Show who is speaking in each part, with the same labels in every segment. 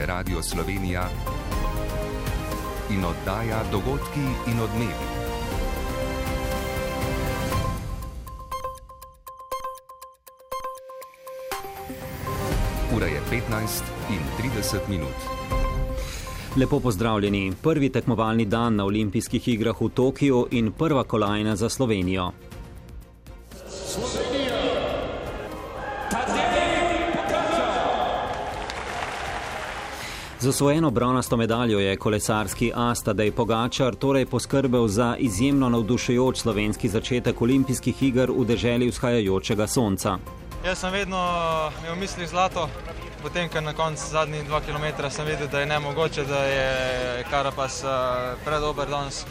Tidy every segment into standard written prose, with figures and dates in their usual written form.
Speaker 1: je Radio Slovenija in oddaja Dogodki in odmevi. Ura je 15:30.
Speaker 2: Lepo pozdravljeni. Prvi tekmovalni dan na olimpijskih igrah v Tokiu in prva kolajna za Slovenijo. Z osvojeno bronasto medaljo je kolesarski as Tadej Pogačar torej poskrbel za izjemno navdušujoč slovenski začetek olimpijskih iger v deželi vzhajajočega sonca.
Speaker 3: Jaz sem vedno imel v mislih zlato, potem, ker na koncu zadnjih 2 km sem videl, da je nemogoče, da je Carapaz predober danes.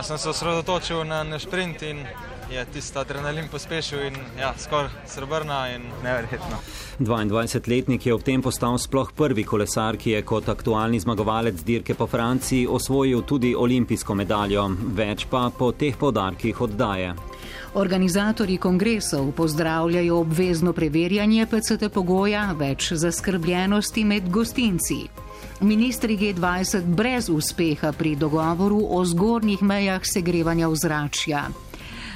Speaker 3: Sem se osredotočil na šprint in je tisti adrenalin pospešil in skoraj srebrna in neverjetno.
Speaker 2: 22-letnik je ob tem postal sploh prvi kolesar, ki je kot aktualni zmagovalec dirke po Franciji osvojil tudi olimpijsko medaljo, več pa po teh poudarkih oddaje.
Speaker 4: Organizatorji kongresov pozdravljajo obvezno preverjanje PCT pogoja, več zaskrbljenosti med gostinci. Ministri G20 brez uspeha pri dogovoru o zgornjih mejah segrevanja ozračja.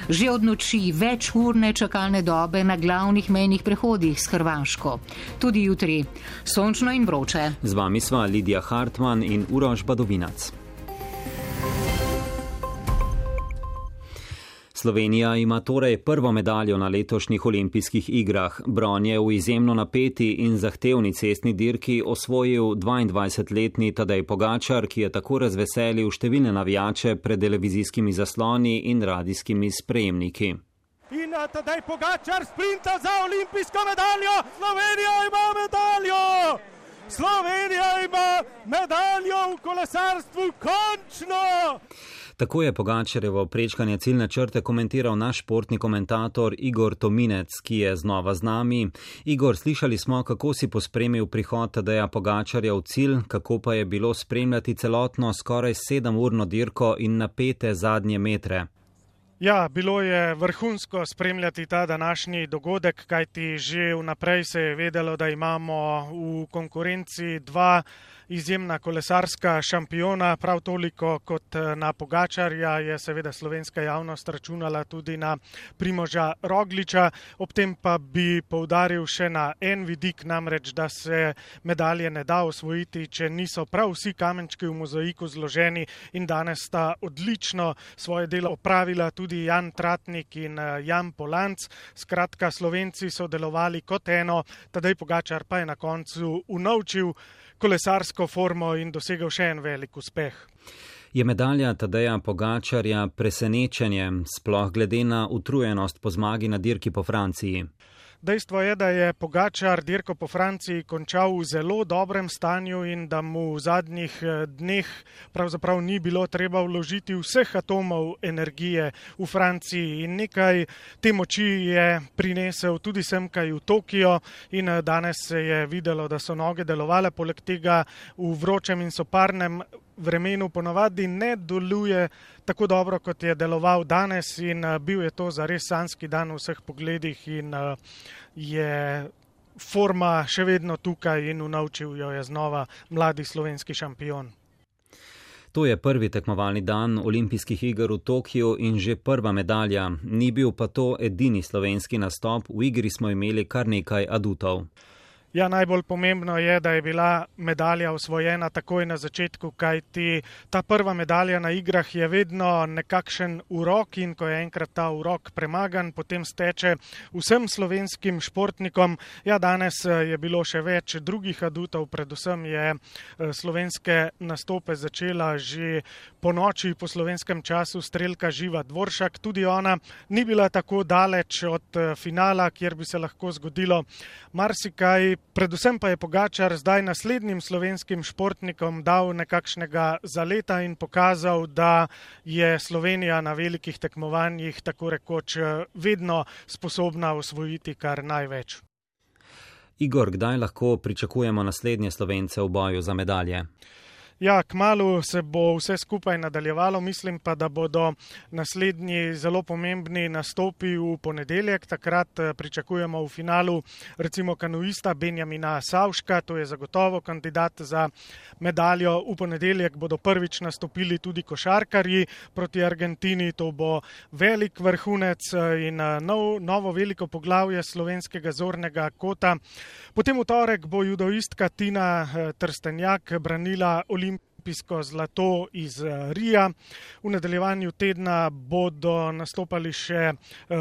Speaker 4: Že od noči večurne čakalne dobe na glavnih mejnih prehodih s Hrvaško. Tudi jutri sončno in vroče.
Speaker 2: Z vami sva Lidija Hartman in Uroš Badovinac. Slovenija ima torej prvo medaljo na letošnjih olimpijskih igrah. Bron je v izjemno napeti in zahtevni cestni dirki osvojil 22-letni Tadej Pogačar, ki je tako razveselil številne navijače pred televizijskimi zasloni in radijskimi sprejemniki.
Speaker 5: In Tadej Pogačar sprinta za olimpijsko medaljo! Slovenija ima medaljo! Slovenija ima medaljo v kolesarstvu, končno!
Speaker 2: Tako je Pogačarjevo prečkanje ciljne črte komentiral naš športni komentator Igor Tominec, ki je znova z nami. Igor, slišali smo, kako si pospremil prihod Tadeja Pogačarja v cilj, kako pa je bilo spremljati celotno skoraj 7-urno dirko in napete zadnje metre.
Speaker 5: Ja, bilo je vrhunsko spremljati ta današnji dogodek, kajti že vnaprej se je vedelo, da imamo v konkurenci 2 izjemna kolesarska šampiona, prav toliko kot na Pogačarja je seveda slovenska javnost računala tudi na Primoža Rogliča. Ob tem pa bi poudaril še na en vidik, namreč, da se medalje ne da osvojiti, če niso prav vsi kamenčki v mozaiku zloženi, in danes sta odlično svoje delo opravila tudi Jan Tratnik in Jan Polanc. Skratka, Slovenci so delovali kot eno, Tadej Pogačar pa je na koncu unovčil kolesarsko formo in dosegel še en velik uspeh.
Speaker 2: Je medalja Tadeja Pogačarja presenečenje, sploh glede na utrujenost po zmagi na dirki po Franciji?
Speaker 5: Dejstvo je, da je Pogačar dirko po Franciji končal v zelo dobrem stanju in da mu v zadnjih dneh pravzaprav ni bilo treba vložiti vseh atomov energije v Franciji. In nekaj te moči je prinesel tudi semkaj v Tokio in danes se je videlo, da so noge delovale. Poleg tega v vročem in soparnem vremenu ponavadi ne deluje tako dobro, kot je deloval danes, in bil je to zares sanjski dan v vseh pogledih in je forma še vedno tukaj in unovčil jo je znova mladi slovenski šampion.
Speaker 2: To je prvi tekmovalni dan olimpijskih iger v Tokiu in že prva medalja. Ni bil pa to edini slovenski nastop, v igri smo imeli kar nekaj adutov.
Speaker 5: Ja, najbolj pomembno je, da je bila medalja osvojena takoj na začetku, kajti ta prva medalja na igrah je vedno nekakšen urok in ko je enkrat ta urok premagan, potem steče vsem slovenskim športnikom. Ja, danes je bilo še več drugih adutov, predvsem je slovenske nastope začela že po noči po slovenskem času strelka Živa Dvoršak. Tudi ona ni bila tako daleč od finala, kjer bi se lahko zgodilo marsikaj. Predvsem pa je Pogačar zdaj naslednjim slovenskim športnikom dal nekakšnega zaleta in pokazal, da je Slovenija na velikih tekmovanjih tako rekoč vedno sposobna osvojiti kar največ.
Speaker 2: Igor, kdaj lahko pričakujemo naslednje Slovence v boju za medalje?
Speaker 5: Ja, kmalu se bo vse skupaj nadaljevalo, mislim pa, da bodo naslednji zelo pomembni nastopi v ponedeljek. Takrat pričakujemo v finalu recimo kanuista Benjamina Savška, to je zagotovo kandidat za medaljo. V ponedeljek bodo prvič nastopili tudi košarkarji proti Argentini, to bo velik vrhunec in novo veliko poglavje slovenskega zornega kota. Potem v torek bo judoistka Tina Trstenjak branila olimpijsko zlato iz Rija. V nadaljevanju tedna bodo nastopali še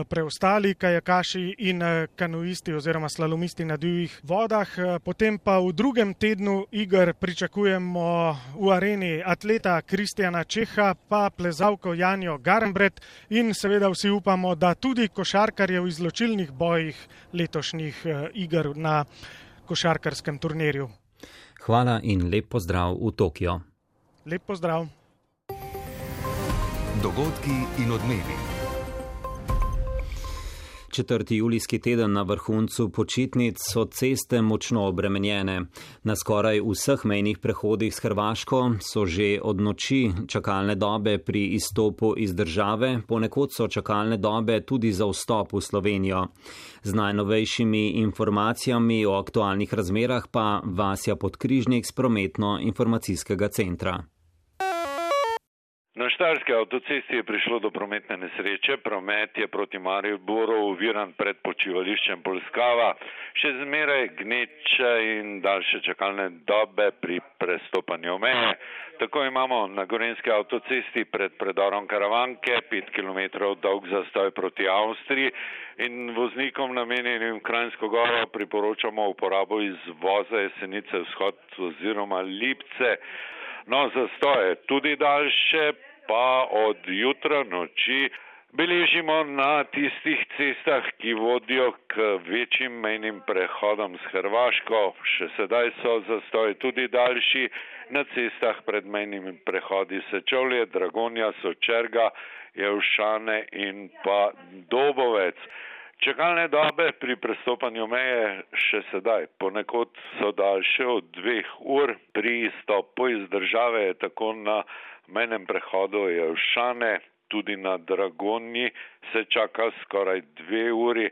Speaker 5: preostali kajakaši in kanuisti oziroma slalomisti na divjih vodah. Potem pa v drugem tednu iger pričakujemo v areni atleta Kristjana Čeha, pa plezalko Janjo Garnbret in seveda vsi upamo, da tudi košarkarje v izločilnih bojih letošnjih iger na košarkarskem turnirju.
Speaker 2: Hvala in lep pozdrav v Tokio.
Speaker 5: Lep pozdrav.
Speaker 1: Dogodki in odmevi.
Speaker 2: 4. julijski teden na vrhuncu počitnic so ceste močno obremenjene. Na skoraj vseh mejnih prehodih s Hrvaško so že od noči čakalne dobe pri izstopu iz države, ponekod so čakalne dobe tudi za vstop v Slovenijo. Z najnovejšimi informacijami o aktualnih razmerah pa Vasja Podkrižnik z prometno-informacijskega centra.
Speaker 6: Na štajerski avtocesti je prišlo do prometne nesreče. Promet je proti Mariboru oviran pred počivališčem Polskava. Še zmeraj gneče in daljše čakalne dobe pri prestopanju meje. Tako imamo na gorenjski avtocesti pred predorom Karavanke 5 km dolg zastoj proti Avstriji in voznikom namenjenim Kranjsko Goro priporočamo uporabo izvoza Jesenice vzhod oziroma Lipce. No, zastoje tudi daljše, pa od jutra noči beležimo na tistih cestah, ki vodijo k večjim mejnim prehodom s Hrvaško. Še sedaj so zastoji tudi daljši na cestah pred mejnimi prehodi Sečovlje, Dragonja, Sočerga, Jelšane in pa Dobovec. Čakalne dobe pri prestopanju meje še sedaj ponekod so daljše od 2 ur. Pri izstopu iz države je tako na mejnem prehodu Jelšane, tudi na Dragonji se čaka skoraj 2 uri.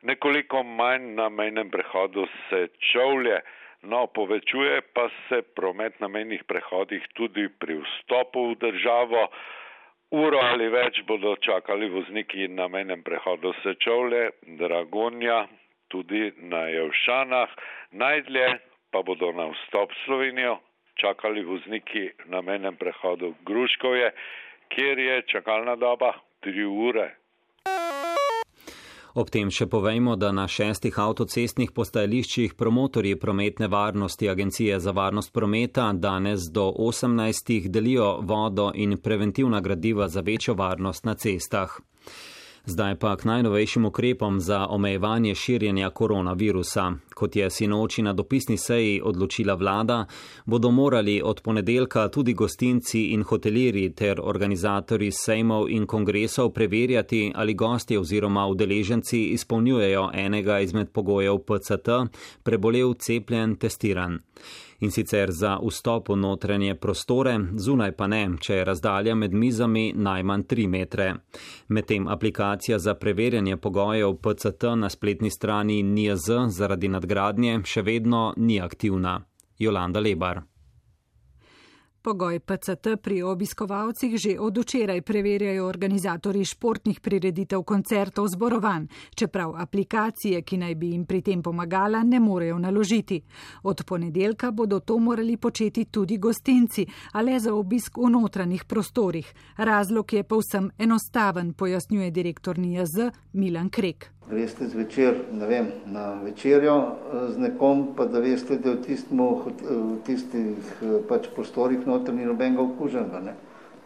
Speaker 6: Nekoliko manj na mejnem prehodu Sečovlje. No, povečuje pa se promet na mejnih prehodih tudi pri vstopu v državo. Uro ali več bodo čakali vozniki na mejnem prehodu Sečovlje, Dragonja, tudi na Jelšanah. Najdlje pa bodo na vstop v Slovenijo čakali vozniki na mejnem prehodu Gruškovje, kjer je čakalna doba 3 ure.
Speaker 2: Ob tem še povejmo, da na 6 avtocestnih postajališčih promotorji prometne varnosti Agencije za varnost prometa danes do 18 delijo vodo in preventivna gradiva za večjo varnost na cestah. Zdaj pa k najnovejšim ukrepom za omejevanje širjenja koronavirusa. Kot je sinoči na dopisni seji odločila vlada, bodo morali od ponedeljka tudi gostinci in hotelirji ter organizatorji sejmov in kongresov preverjati, ali gostje oziroma udeleženci izpolnjujejo enega izmed pogojev PCT, prebolel, cepljen, testiran. In sicer za vstop v notranje prostore, zunaj pa ne, če je razdalja med mizami najmanj 3 metre. Medtem aplikacija za preverjanje pogojev PCT na spletni strani NIJZ zaradi nadgradnje še vedno ni aktivna. Jolanda Lebar.
Speaker 7: Pogoj PCT pri obiskovalcih že od včeraj preverjajo organizatorji športnih prireditev, koncertov, zborovanj, čeprav aplikacije, ki naj bi jim pri tem pomagala, ne morejo naložiti. Od ponedeljka bodo to morali početi tudi gostinci, a le za obisk v notranjih prostorih. Razlog je povsem enostaven, pojasnjuje direktor NIJZ Milan Krek.
Speaker 8: Greste zvečer, na večerjo z nekom, pa da veste, da v tistih prostorih notri ni nobenega okuženega. Ne?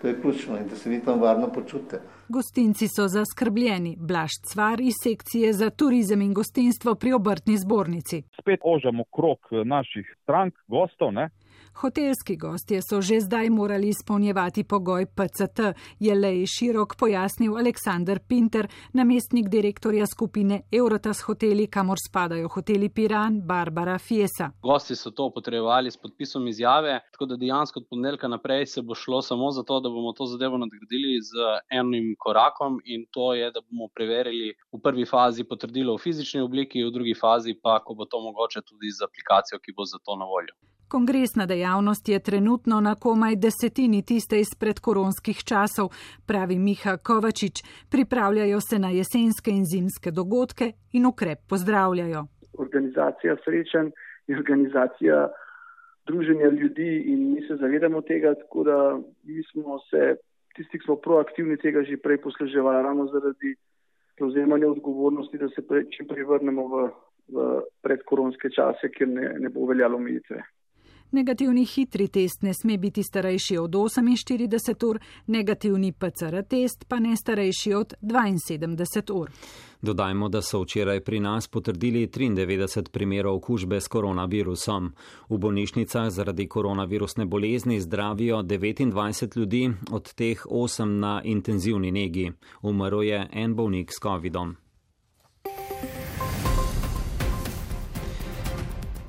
Speaker 8: To je ključno in da se vi tam varno počutite.
Speaker 7: Gostinci so zaskrbljeni. Blaž Cvar iz sekcije za turizem in gostinstvo pri Obrtni zbornici.
Speaker 9: Spet ožamo krog naših strank, gostov, ne?
Speaker 7: Hotelski gostje so že zdaj morali izpolnjevati pogoj PCT, je Lej Širok pojasnil Aleksander Pinter, namestnik direktorja skupine Eurotas hoteli, kamor spadajo hoteli Piran, Barbara, Fiesa.
Speaker 9: Gosti so to potrebovali s podpisom izjave, tako da dejansko od ponedeljka naprej se bo šlo samo za to, da bomo to zadevo nadgradili z enim korakom, in to je, da bomo preverili v prvi fazi potrdilo v fizični obliki, v drugi fazi pa, ko bo to mogoče, tudi z aplikacijo, ki bo za to na voljo.
Speaker 7: Kongresna dejavnost je trenutno na komaj 10% tiste izpred koronskih časov, pravi Miha Kovačič. Pripravljajo se na jesenske in zimske dogodke in ukrep pozdravljajo.
Speaker 10: Organizacija srečanj je organizacija druženja ljudi in mi se zavedamo tega, tako da mi smo se, tisti, ki smo proaktivni, tega že prej posluževali, ravno zaradi prevzemanja odgovornosti, da se čim prej vrnemo v predkoronske čase, kjer ne bo veljalo omejitve.
Speaker 7: Negativni hitri test ne sme biti starejši od 48 ur, negativni PCR test pa ne starejši od 72 ur.
Speaker 2: Dodajmo, da so včeraj pri nas potrdili 93 primerov okužbe s koronavirusom. V bolnišnicah zaradi koronavirusne bolezni zdravijo 29 ljudi, od teh 8 na intenzivni negi. Umrl je en bolnik s covidom.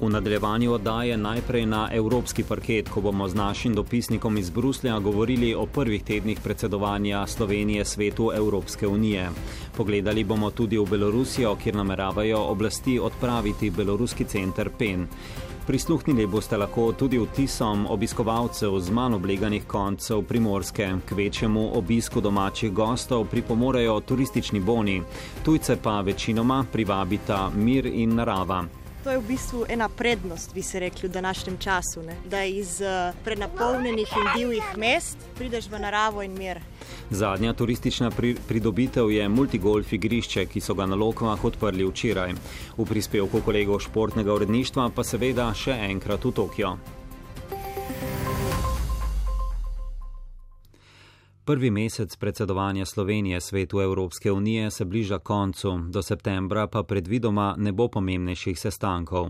Speaker 2: V nadaljevanju oddaje najprej na evropski parket, ko bomo z našim dopisnikom iz Bruslja govorili o prvih tednih predsedovanja Slovenije Svetu Evropske unije. Pogledali bomo tudi v Belorusijo, kjer nameravajo oblasti odpraviti beloruski center PEN. Prisluhnili boste lahko tudi vtisom obiskovalcev z manj obleganih koncev Primorske. K večjemu obisku domačih gostov pripomorejo turistični boni, tujce pa večinoma privabita mir in narava.
Speaker 11: To je v bistvu ena prednost, bi se rekli, v današnjem času, ne? Da iz prenapolnjenih in divjih mest prideš v naravo in mir.
Speaker 2: Zadnja turistična pridobitev je multigolf igrišče, ki so ga na Lokvah odprli včeraj. V prispevku kolegov športnega uredništva pa seveda še enkrat v Tokio. Prvi mesec predsedovanja Slovenije Svetu Evropske unije se bliža koncu, do septembra pa predvidoma ne bo pomembnejših sestankov.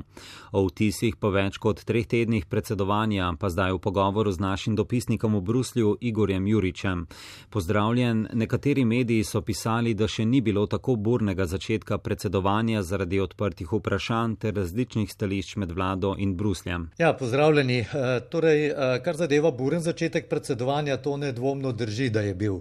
Speaker 2: O vtisih po več kot 3 tednih predsedovanja pa zdaj v pogovoru z našim dopisnikom v Bruslju Igorjem Juričem. Pozdravljen, nekateri mediji so pisali, da še ni bilo tako burnega začetka predsedovanja zaradi odprtih vprašanj ter različnih stališč med vlado in Brusljem.
Speaker 12: Ja, pozdravljeni. Torej, kar zadeva buren začetek predsedovanja, to nedvomno drži, da je bil.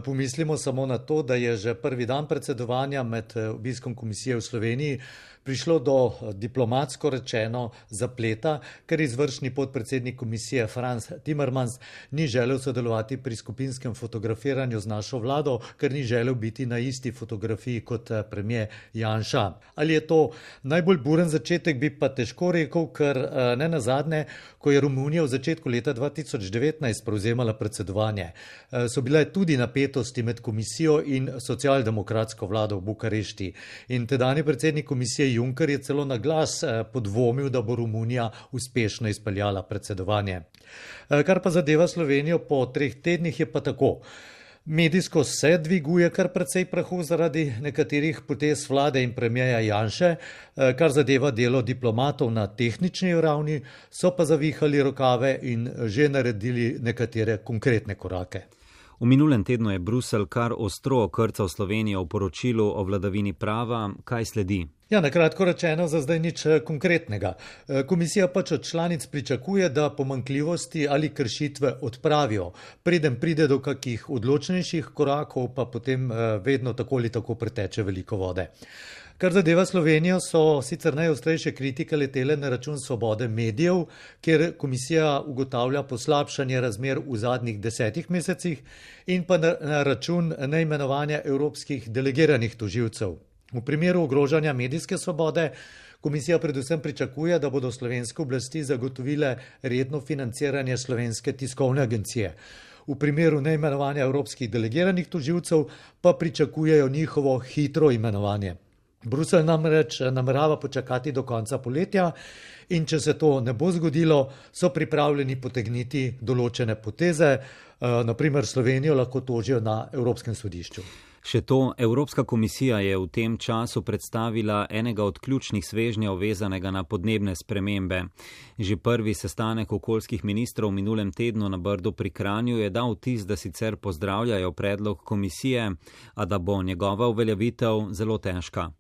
Speaker 12: Pomislimo samo na to, da je že prvi dan predsedovanja med obiskom komisije v Sloveniji prišlo do diplomatsko rečeno zapleta, ker izvršni podpredsednik komisije Franz Timmermans ni želel sodelovati pri skupinskem fotografiranju z našo vlado, ker ni želel biti na isti fotografiji kot premier Janša. Ali je to najbolj buren začetek, bi pa težko rekel, ker ne nazadnje, ko je Romunija v začetku leta 2019 prevzemala predsedovanje, so bile tudi napetosti med komisijo in socialdemokratsko vlado v Bukarešti. In tedanji predsednik komisije Juncker je celo na glas podvomil, da bo Romunija uspešno izpeljala predsedovanje. Kar pa zadeva Slovenijo po 3 tednih je pa tako. Medijsko se dviguje kar precej prahu zaradi nekaterih potez vlade in premierja Janše, kar zadeva delo diplomatov na tehnični ravni, so pa zavihali rokave in že naredili nekatere konkretne korake.
Speaker 2: V minulem tednu je Bruselj kar ostro okrcal Slovenijo v poročilu o vladavini prava. Kaj sledi?
Speaker 12: Ja, na kratko rečeno, za zdaj nič konkretnega. Komisija pač od članic pričakuje, da pomanjkljivosti ali kršitve odpravijo. Preden pride do kakih odločnejših korakov, pa potem vedno tako ali tako preteče veliko vode. Kar zadeva Slovenijo, so sicer najostrejše kritike letele na račun svobode medijev, kjer komisija ugotavlja poslabšanje razmer v zadnjih 10 mesecih in pa na račun neimenovanja evropskih delegiranih tožilcev. V primeru ogrožanja medijske svobode komisija predvsem pričakuje, da bodo slovenske oblasti zagotovile redno financiranje Slovenske tiskovne agencije. V primeru neimenovanja evropskih delegiranih tožilcev pa pričakujejo njihovo hitro imenovanje. Bruselj namreč namerava počakati do konca poletja in če se to ne bo zgodilo, so pripravljeni potegniti določene poteze, naprimer Slovenijo lahko tožijo na Evropskem sodišču.
Speaker 2: Še to, Evropska komisija je v tem času predstavila enega od ključnih svežnjev vezanega na podnebne spremembe. Že prvi sestanek okoljskih ministrov v minulem tednu na Brdu pri Kranju je dal vtis, da sicer pozdravljajo predlog komisije, a da bo njegova uveljavitev zelo težka.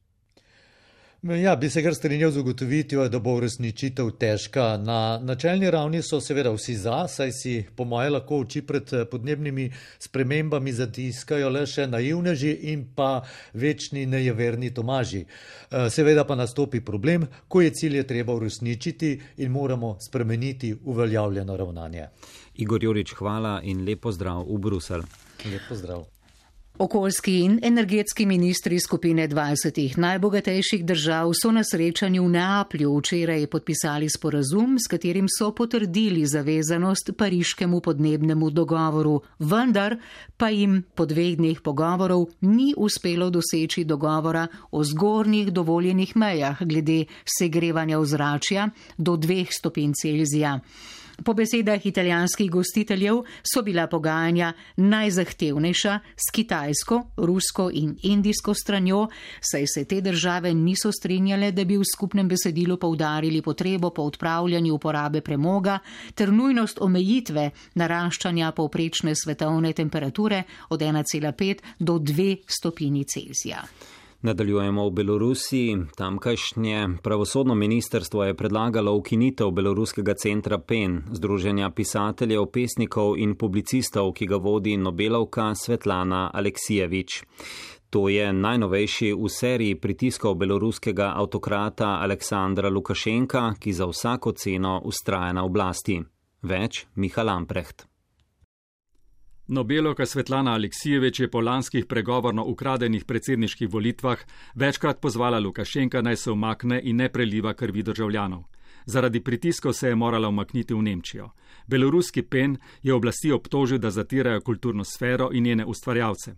Speaker 12: Ja, bi se kar strinjal z ugotovitvijo, da bo uresničitev težka. Na načelni ravni so seveda vsi za, saj si po moje lahko oči pred podnebnimi spremembami zatiskajo le še naivneži in pa večni nejeverni Tomaži. Seveda pa nastopi problem, ko je cilje treba uresničiti in moramo spremeniti uveljavljeno ravnanje.
Speaker 2: Igor Jurič, hvala in lep pozdrav v Bruselj.
Speaker 12: Lep pozdrav.
Speaker 4: Okoljski in energetski ministri skupine 20 najbogatejših držav so na srečanju v Neaplju včeraj podpisali sporazum, s katerim so potrdili zavezanost pariškemu podnebnemu dogovoru, vendar pa jim po 2 dneh pogovorov ni uspelo doseči dogovora o zgornjih dovoljenih mejah glede segrevanja ozračja do 2 stopinj Celzija. Po besedah italijanskih gostiteljev so bila pogajanja najzahtevnejša s kitajsko, rusko in indijsko stranjo, saj se te države niso strinjale, da bi v skupnem besedilu poudarili potrebo po odpravljanju uporabe premoga ter nujnost omejitve naraščanja povprečne svetovne temperature od 1,5 do 2 stopinji Celzija.
Speaker 2: Nadaljujemo v Belorusiji. Tamkajšnje pravosodno ministrstvo je predlagalo ukinitev beloruskega centra PEN, združenja pisateljev, pesnikov in publicistov, ki ga vodi Nobelovka Svetlana Aleksijevič. To je najnovejši v seriji pritiskov beloruskega avtokrata Aleksandra Lukašenka, ki za vsako ceno vztraja na oblasti. Več Miha Lamprecht.
Speaker 13: Nobelovka Svetlana Aleksijevič je po lanskih pregovorno ukradenih predsedniških volitvah večkrat pozvala Lukašenka naj se umakne in ne preliva krvi državljanov. Zaradi pritiskov se je morala umakniti v Nemčijo. Beloruski PEN je oblasti obtožil, da zatirajo kulturno sfero in njene ustvarjalce.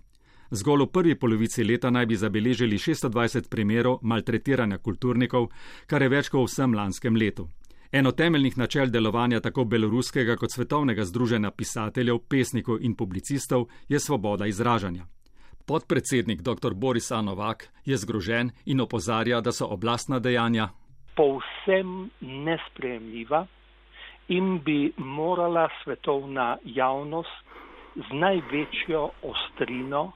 Speaker 13: Zgolj v prvi polovici leta naj bi zabeležili 620 primerov maltretiranja kulturnikov, kar je več kot v vsem lanskem letu. Eno temeljnih načel delovanja tako beloruskega kot svetovnega združenja pisateljev, pesnikov in publicistov je svoboda izražanja. Podpredsednik dr. Boris A. Novak je zgrožen in opozarja, da so oblastna dejanja
Speaker 14: povsem nesprejemljiva in bi morala svetovna javnost z največjo ostrino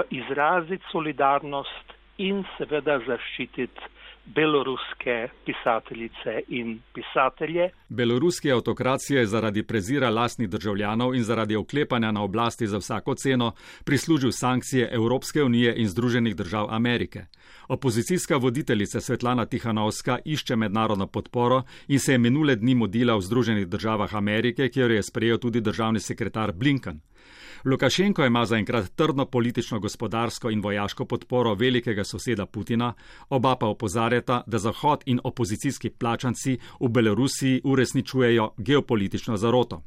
Speaker 14: izraziti solidarnost in seveda zaščititi beloruske pisateljice in pisatelje.
Speaker 13: Beloruski avtokracija je zaradi prezira lastnih državljanov in zaradi oklepanja na oblasti za vsako ceno prislužil sankcije Evropske unije in Združenih držav Amerike. Opozicijska voditeljica Svetlana Tihanovska išče mednarodno podporo in se je minule dni mudila v Združenih državah Amerike, kjer je sprejel tudi državni sekretar Blinken. Lukašenko ima zaenkrat trdno politično, gospodarsko in vojaško podporo velikega soseda Putina, oba pa opozarjata, da Zahod in opozicijski plačanci v Belorusiji uresničujejo geopolitično zaroto.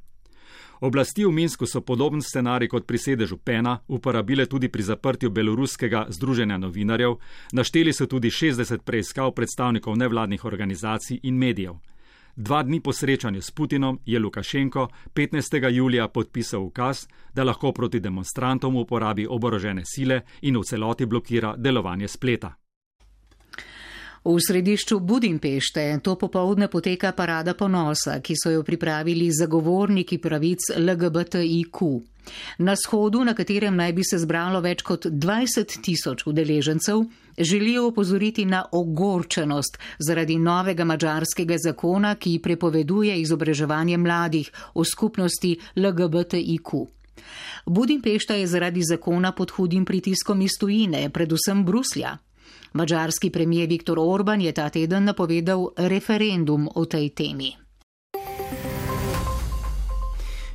Speaker 13: Oblasti v Minsku so podoben scenarij kot pri sedežu PEN-a uporabile tudi pri zaprtju beloruskega združenja novinarjev, našteli so tudi 60 preiskav predstavnikov nevladnih organizacij in medijev. 2 dni po srečanju s Putinom je Lukašenko 15. julija podpisal ukaz, da lahko proti demonstrantom uporabi oborožene sile in v celoti blokira delovanje spleta.
Speaker 4: V središču Budimpešte to popoldne poteka parada ponosa, ki so jo pripravili zagovorniki pravic LGBTIQ. Na shodu, na katerem naj bi se zbralo več kot 20 000 udeležencev, želijo opozoriti na ogorčenost zaradi novega madžarskega zakona, ki prepoveduje izobraževanje mladih o skupnosti LGBTIQ. Budimpešta je zaradi zakona pod hudim pritiskom iz tujine, predvsem Bruslja. Madžarski premijer Viktor Orban je ta teden napovedal referendum o tej temi.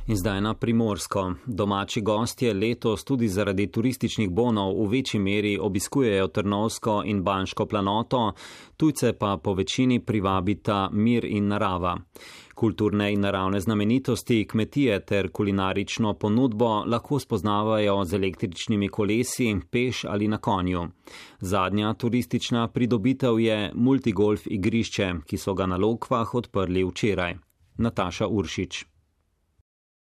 Speaker 2: In zdaj na Primorsko. Domači gostje letos tudi zaradi turističnih bonov v večji meri obiskujejo Trnovsko in Banško planoto, tujce pa po večini privabita mir in narava. Kulturne in naravne znamenitosti, kmetije ter kulinarično ponudbo lahko spoznavajo z električnimi kolesi, peš ali na konju. Zadnja turistična pridobitev je multigolf igrišče, ki so ga na Lokvah odprli včeraj. Nataša Uršič.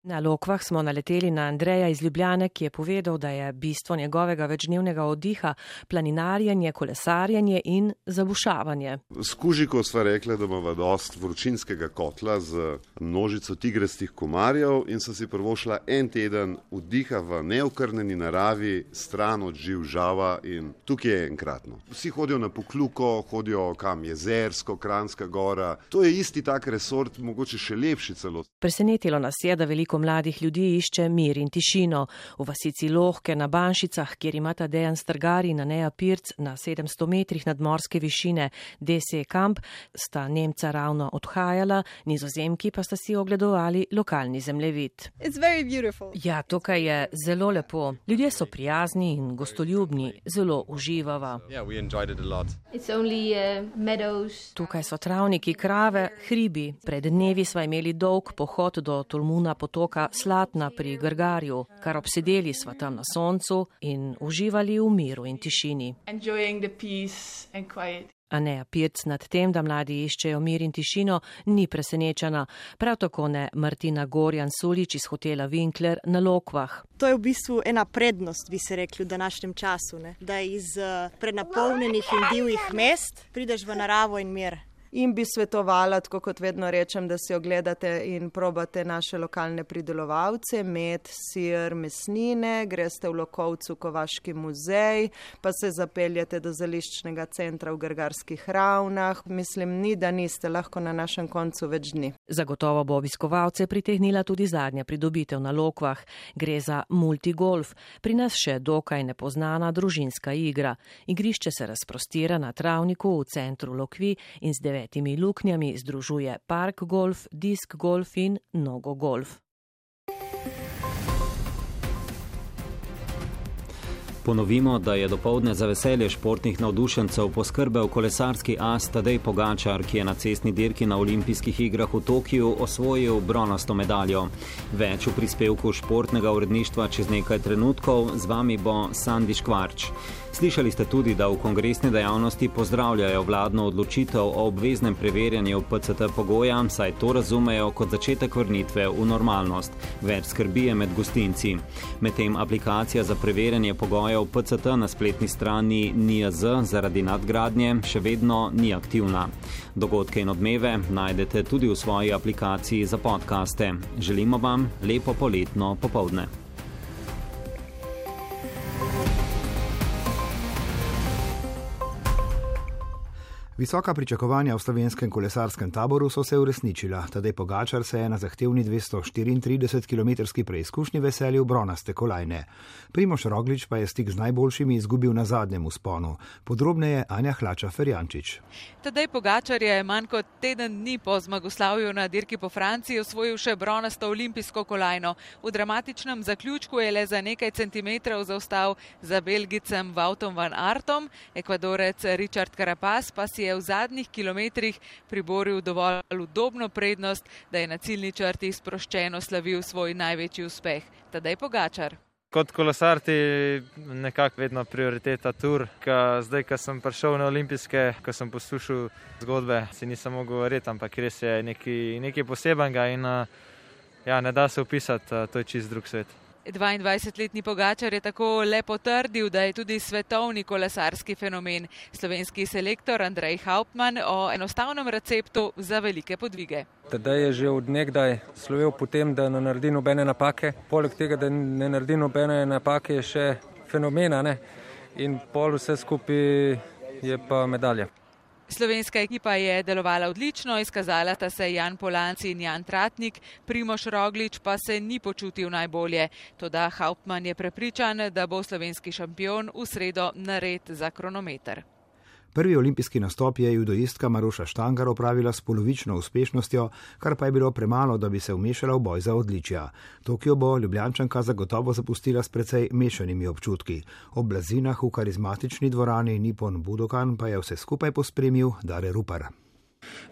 Speaker 15: Na Lokvah smo naleteli na Andreja iz Ljubljane, ki je povedal, da je bistvo njegovega večdnevnega oddiha planinarjenje, kolesarjenje in zabušavanje.
Speaker 16: S Kužiko sva rekla, da imava dost vročinskega kotla z množico tigrastih komarjev in so si prvošla en teden oddiha v neokrnjeni naravi, stran od živ žava in tukaj je enkratno. Vsi hodijo na Pokluko, hodijo kam Jezersko, Kranjska gora. To je isti tak resort, mogoče še lepši celo.
Speaker 15: Presenetilo nas je, da veliko mladih ljudi išče mir in tišino. V vasici Lohke na Banšicah, kjer imata Dejan Strgar in Aneja Pirc na 700 metrih nadmorske višine DC Kamp, sta Nemca ravno odhajala, Nizozemki pa sta si ogledovali lokalni zemljevid. Ja, tukaj je zelo lepo. Ljudje so prijazni in gostoljubni, zelo uživava. Tukaj so travniki, krave, hribi. Pred dnevi sva imeli dolg pohod do Tolmuna potoka Slatna pri Grgarju, kar obsedeli sva tam na soncu in uživali v miru in tišini. Aneja Pirc nad tem, da mladi iščejo mir in tišino, ni presenečena. Prav tako ne Martina Gorjan-Sulič iz hotela Winkler na Lokvah.
Speaker 11: To je v bistvu ena prednost, bi se rekli, v današnjem času, ne? Da iz prenapolnjenih in divjih mest prideš v naravo in mir.
Speaker 17: In bi svetovala, tako kot vedno rečem, da si ogledate in probate naše lokalne pridelovalce, med, sir, mesnine, greste v Lokovcu Kovaški muzej, pa se zapeljete do zeliščnega centra v Grgarskih ravnah. Mislim, ni, da niste lahko na našem koncu več dni.
Speaker 15: Zagotovo bo obiskovalce pritegnila tudi zadnja pridobitev na Lokvah. Gre za multigolf, pri nas še dokaj nepoznana družinska igra. Igrišče se razprostira na travniku v centru Lokvi in z 9 luknjami združuje park golf, disk golf in nogo golf.
Speaker 2: Ponovimo, da je dopoldne za veselje športnih navdušencev poskrbel kolesarski as Tadej Pogačar, ki je na cestni dirki na olimpijskih igrah v Tokiu osvojil bronasto medaljo. Več v prispevku športnega uredništva čez nekaj trenutkov, z vami bo Sandi Škvarč. Slišali ste tudi, da v kongresni dejavnosti pozdravljajo vladno odločitev o obveznem preverjanju PCT pogoja, saj to razumejo kot začetek vrnitve v normalnost. Več skrbi je med gostinci. Medtem aplikacija za preverjanje pogojev PCT na spletni strani NIJZ zaradi nadgradnje še vedno ni aktivna. Dogodke in odmeve najdete tudi v svoji aplikaciji za podcaste. Želimo vam lepo poletno popoldne.
Speaker 18: Visoka pričakovanja v slovenskem kolesarskem taboru so se uresničila. Tadej Pogačar se je na zahtevni 234-kilometrski preizkušnji veselil bronaste kolajne. Primož Roglič pa je stik z najboljšimi izgubil na zadnjem vzponu. Podrobneje Anja Hlača-Ferjančič.
Speaker 19: Tadej Pogačar je manj kot teden dni po zmagoslavju na dirki po Franciji osvojil še bronasto olimpijsko kolajno. V dramatičnem zaključku je le za nekaj centimetrov zaostal za Belgicem Woutom van Aertom. Ekvadorec Richard Carapaz pa si je v zadnjih kilometrih priboril dovolj udobno prednost, da je na ciljni črti sproščeno slavil svoj največji uspeh. Tadej Pogačar.
Speaker 3: Kot kolesar ti nekako vedno prioriteta tur. Zdaj, ko sem prišel na olimpijske, ko sem poslušal zgodbe, si nisem mogel verjeti, ampak res je nekaj posebenega in ne da se opisati, to je čist drug svet.
Speaker 19: 22-letni Pogačar je tako le potrdil, da je tudi svetovni kolesarski fenomen. Slovenski selektor Andrej Hauptmann o enostavnem receptu za velike podvige.
Speaker 20: Tadej je že od nekdaj slovel po tem, da ne naredi nobene napake. Poleg tega, da ne naredi nobene napake, je še fenomena, ne? In pol vse skupaj je pa medalja.
Speaker 19: Slovenska ekipa je delovala odlično, izkazala sta se Jan Polanci in Jan Tratnik, Primož Roglič pa se ni počutil najbolje. Toda Hauptmann je prepričan, da bo slovenski šampion v sredo nared za kronometer.
Speaker 18: Prvi olimpijski nastop je judoistka Maruša Štangar opravila s polovično uspešnostjo, kar pa je bilo premalo, da bi se vmešala v boj za odličja. Tokio bo Ljubljančanka zagotovo zapustila s precej mešanimi občutki. Ob blazinah v karizmatični dvorani Nippon Budokan pa je vse skupaj pospremil Dare Rupar.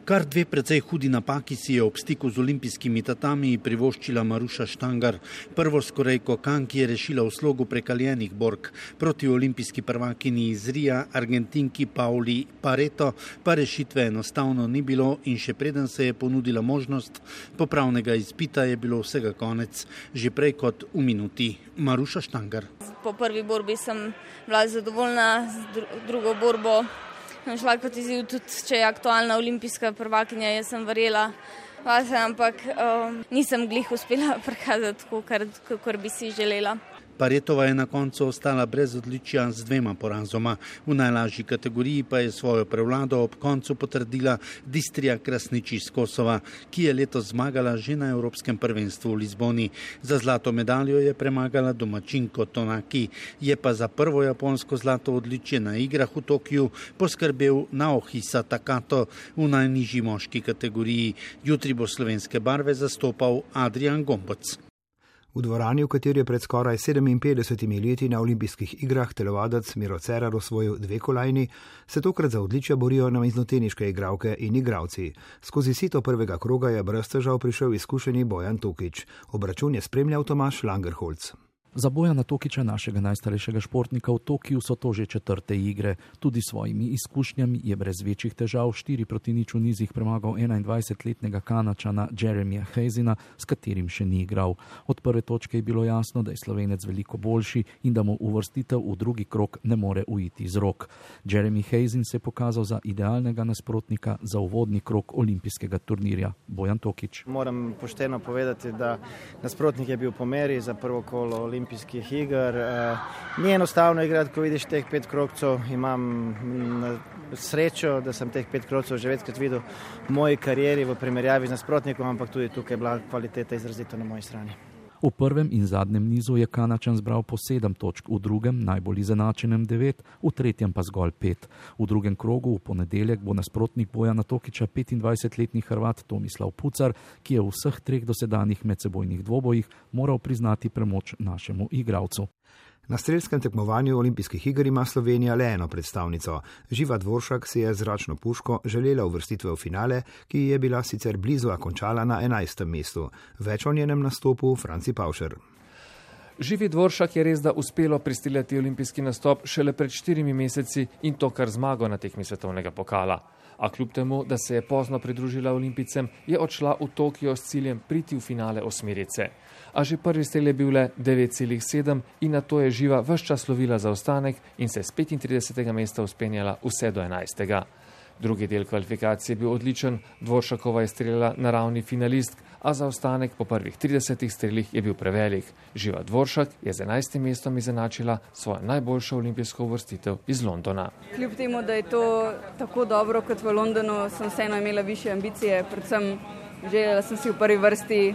Speaker 21: Kar 2 precej hudi napaki si je ob stiku z olimpijskimi tatami privoščila Maruša Štangar. Prvo skorejko Kanki je rešila v slogu prekaljenih bork. Proti olimpijski prvakini iz Rija, Argentinki Pauli Pareto, pa rešitve enostavno ni bilo in še preden se je ponudila možnost popravnega izpita, je bilo vsega konec, že prej kot v minuti. Maruša Štangar.
Speaker 22: Po prvi borbi sem bila zadovoljna, z drugo borbo šla kot izziv, tudi če je aktualna olimpijska prvakinja, jaz sem verjela vase, ampak nisem glih uspela prikazati tako, kakor bi si želela.
Speaker 21: Paretova je na koncu ostala brez odličja z 2 porazoma. V najlažji kategoriji pa je svojo prevlado ob koncu potrdila Distrija Krasnič iz Kosova, ki je letos zmagala že na Evropskem prvenstvu v Lizboni. Za zlato medaljo je premagala domačinko Tonaki. Je pa za prvo japonsko zlato odličje na igrah v Tokiju poskrbel Naohisa Takato v najnižji moški kategoriji. Jutri bo slovenske barve zastopal Adrian Gomboc.
Speaker 18: V dvorani, v kateri je pred skoraj 57 leti na olimpijskih igrah telovadec Miro Cerar osvojil 2 kolajni, se tokrat za odličja borijo namiznoteniške igralke in igralci. Skozi sito prvega kroga je brez težav prišel izkušeni Bojan Tokič. Obračun je spremljal Tomaž Langerholz.
Speaker 23: Za Bojana Tokiča, našega najstarejšega športnika v Tokiju, so to že 4. igre. Tudi svojimi izkušnjami je brez večjih težav 4-0 v nizih premagal 21-letnega Kanačana Jeremija Hazena, s katerim še ni igral. Od prve točke je bilo jasno, da je Slovenec veliko boljši in da mu uvrstitev v drugi krog ne more uiti iz rok. Jeremy Hazen se je pokazal za idealnega nasprotnika za uvodni krog olimpijskega turnirja. Bojan Tokič.
Speaker 24: Moram pošteno povedati, da nasprotnik je bil po meri za prvo kolo olimpijskih iger. Ni enostavno igrati, ko vidiš teh 5 krogcev. Imam srečo, da sem teh 5 krogcev že večkrat videl v moji karieri v primerjavi z nasprotnikom, ampak tudi tukaj je bila kvaliteta izrazito na moji strani.
Speaker 23: V prvem in zadnjem nizu je Kanačan zbral po 7 točk, v drugem najbolj izenačenem 9, v tretjem pa zgolj 5. V drugem krogu v ponedeljek bo nasprotnik Bojana Tokiča 25-letni Hrvat Tomislav Pucar, ki je v vseh 3 dosedanjih medsebojnih dvobojih moral priznati premoč našemu igralcu.
Speaker 18: Na strelskem tekmovanju olimpijskih iger ima Slovenija le eno predstavnico. Živa Dvoršak si je z zračno puško želela uvrstitve v finale, ki je bila sicer blizu, a končala na 11. mestu. Več o njenem nastopu Franci Pavšer.
Speaker 25: Živi Dvoršak je res, da uspelo pristiljati olimpijski nastop šele pred 4 meseci in to kar zmago na tekmi svetovnega pokala. A kljub temu, da se je pozno pridružila olimpijcem, je odšla v Tokio s ciljem priti v finale osmerice. A že prvi strel je bil le 9,7 in na to je Živa ves čas lovila zaostanek in se s 35. mesta uspenjala vse do 11. Drugi del kvalifikacije je bil odličen, Dvoršakova je streljala na ravni finalistk, a zaostanek po prvih 30 strelih je bil prevelik. Živa Dvoršak je z 11. mestom izenačila svojo najboljšo olimpijsko uvrstitev iz Londona.
Speaker 26: Kljub temu, da je to tako dobro kot v Londonu, sem vseeno imela višje ambicije, predvsem želela sem si v prvi vrsti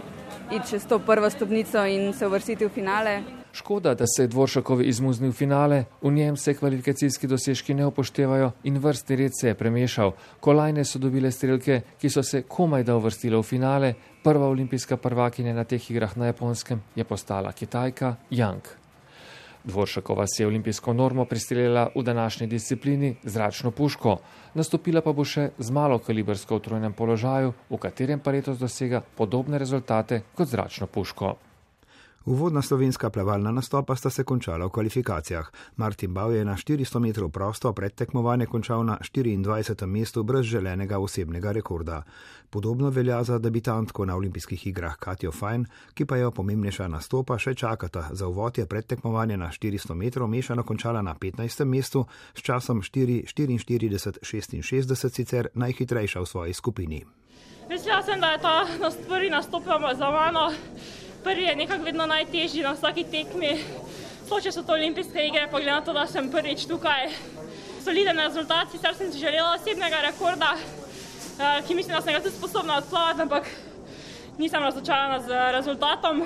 Speaker 26: iti čez to prvo stopnico in se uvrstiti v finale.
Speaker 25: Škoda, da se je Dvoršakovi izmuznil v finale, v njem se kvalifikacijski dosežki ne upoštevajo in vrstni red se je premešal. Kolajne so dobile strelke, ki so se komaj da uvrstile v finale. Prva olimpijska prvakinja na teh igrah na Japonskem je postala Kitajka Yang. Dvoršakova se je olimpijsko normo pristreljala v današnji disciplini zračno puško. Nastopila pa bo še z malokalibrsko v trojnem položaju, v katerem pa letos dosega podobne rezultate kot zračno puško.
Speaker 18: Uvodna slovenska plavalna nastopa sta se končala v kvalifikacijah. Martin Bav je na 400 metrov prosto pred tekmovanje končal na 24. mestu brez želenega osebnega rekorda. Podobno velja za debitantko na olimpijskih igrah Katjo Fajn, ki pa jo pomembnejša nastopa še čakata. Za uvod je pred tekmovanje na 400 metrov mešano končala na 15. mestu s časom 4:44:66, sicer najhitrejša v svoji skupini.
Speaker 27: Mislila sem, da je ta prvi nastop za mano. Prvi je nekako vedno najtežji na vsaki tekmi. Če so to olimpijske igre, pa glede na to, da sem prvič tukaj. Soliden rezultat, sicer sem si želela osebnega rekorda, ki mislim, da sem ga tudi sposobna odplavati, ampak nisem razočarana z rezultatom.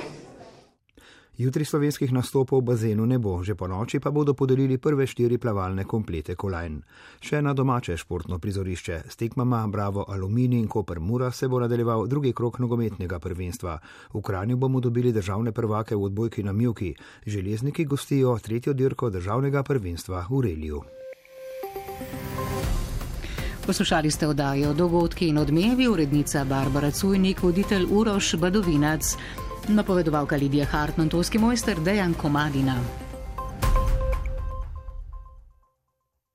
Speaker 18: Jutri slovenskih nastopov v bazenu ne bo, že po noči pa bodo podelili prve 4 plavalne komplete kolajn. Še na domače športno prizorišče s tekmama Bravo Aluminij in Koper Mura se bo nadaljeval drugi krog nogometnega prvenstva. V Kranju bomo dobili državne prvake v odbojki na mivki. Železniki gostijo 3. dirko državnega prvenstva v reliju.
Speaker 4: Poslušali ste oddajo Dogodki in odmevi, urednica Barbara Cujnik, voditelj Uroš Badovinac, napovedovalka Lidija Hartmann, tonski mojster Dejan Komadina.